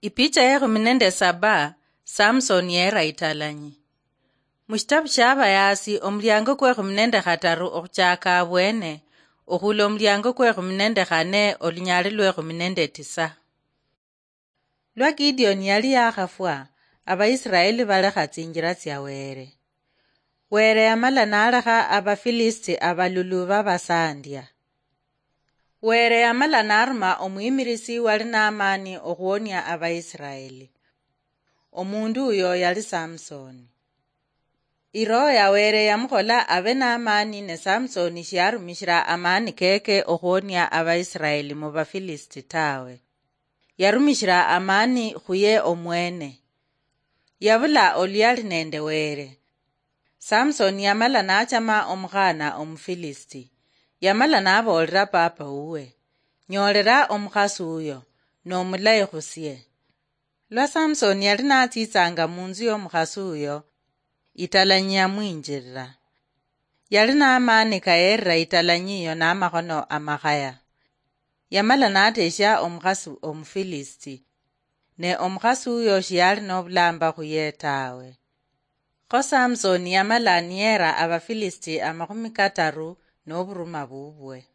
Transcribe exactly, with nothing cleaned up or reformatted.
Ipicha yekhumi nende saba. Samsoni yera italanyi. Mushitabu shia Abayaasi, omuliango kwekhumi nende khataru okhuchaka abwene, okhula omuliango kwekhumi nende khane, olunyali lwekhumi nende tisa. Lwa Gideoni yali yakhafwa, Abaisiraeli balekha tsinjira tsia Were. Were yamala nalekha Abafilisiti abalulu babasandia. Were yamala naruma omwimirisi wali n'amaani okhuwonia Abaisiraeli. Omundu uyo yali Samsoni. Iroho ya Were yamukhola abe n'amaani, ne Samsoni shiyarumishira amaani keke okhuwonia Abaisiraeli mu Bafilisiti tawe. Yarumishira amaani khuye omwene. Yabula oluyali nende Were. Samsoni yamala nachama omukhana Omufilisiti. Yamala naboolera papa wuwe, "Nyoolera omukhasi uyo, nomulayi khusie." Lwa Samsoni yali natsitsanga munzu yomukhasi uyo, italanyi yamwinjirira. Yali namaani kayerera italanyi iyo namakhono amakhaya. Yamala natesha omukhasi Omufilisiti, ne omukhasi uyo shiyali nobulamba khuye tawe. Kho Samsoni yamala niyera Abafilisiti amakhumi kataru noburuma bubwe.